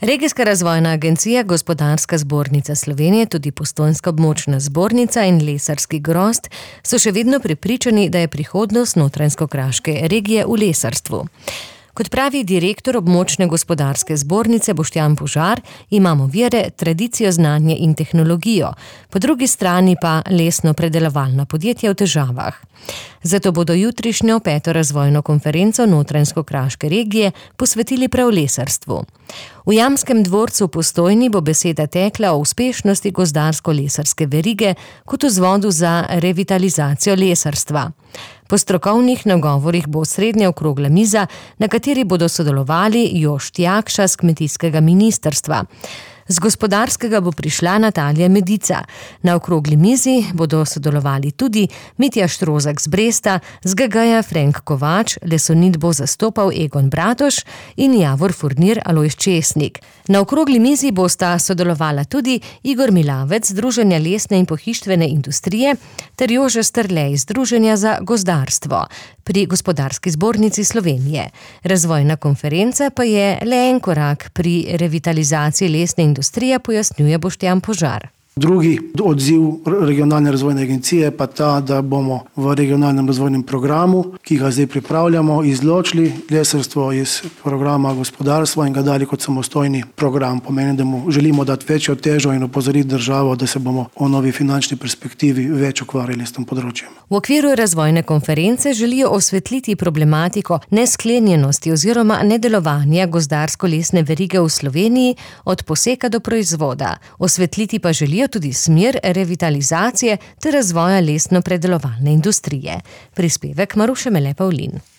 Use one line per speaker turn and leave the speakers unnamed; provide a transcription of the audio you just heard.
Regijska razvojna agencija, Gospodarska zbornica Slovenije, tudi Postojnska območna zbornica in lesarski grozd so še vedno prepričani, da je prihodnost Notranjsko-kraške regije v lesarstvu. Kot pravi direktor območne gospodarske zbornice Boštjan Požar, imamo vire, tradicijo, znanje in tehnologijo, po drugi strani pa lesno-predelovalna podjetja v težavah. Zato bodo jutrišnjo 5. razvojno konferenco Notranjsko-kraške regije posvetili prav lesarstvu. V Jamskem dvorcu v Postojni bo beseda tekla o uspešnosti gozdarsko-lesarske verige kot vzvodu za revitalizacijo lesarstva. Po strokovnih nagovorih bo osrednja okrogla miza, na kateri bodo sodelovali Jošt Jakša z kmetijskega ministrstva. Z gospodarskega bo prišla Natalija Medica. Na okrogli mizi bodo sodelovali tudi Mitja Štrozak z Bresta, z GG-ja Frank Kovač, Lesonit bo zastopal Egon Bratoš in Javor Furnir Alojz Česnik. Na okrogli mizi bosta sodelovala tudi Igor Milavec, Združenja lesne in pohištvene industrije, ter Jože Strlej, Združenja za gozdarstvo pri Gospodarski zbornici Slovenije. Razvojna konferenca pa je le en korak pri revitalizaciji lesne industrije, pojasnjuje Boštjan Požar.
Drugi odziv regionalne razvojne agencije pa ta, da bomo v regionalnem razvojnem programu, ki ga zdaj pripravljamo, izločili lesarstvo iz programa gospodarstva in ga dali kot samostojni program. Pomeni, da mu želimo dati večjo težo in opozoriti državo, da se bomo v novi finančni perspektivi več ukvarjali s tem področjem.
V okviru razvojne konference želijo osvetliti problematiko nesklenjenosti oziroma nedelovanja gozdarsko-lesne verige v Sloveniji od poseka do proizvoda. Osvetliti pa želijo tudi smer revitalizacije ter razvoja lesno-predelovalne industrije. Prispevek Maruše Mele Pavlin.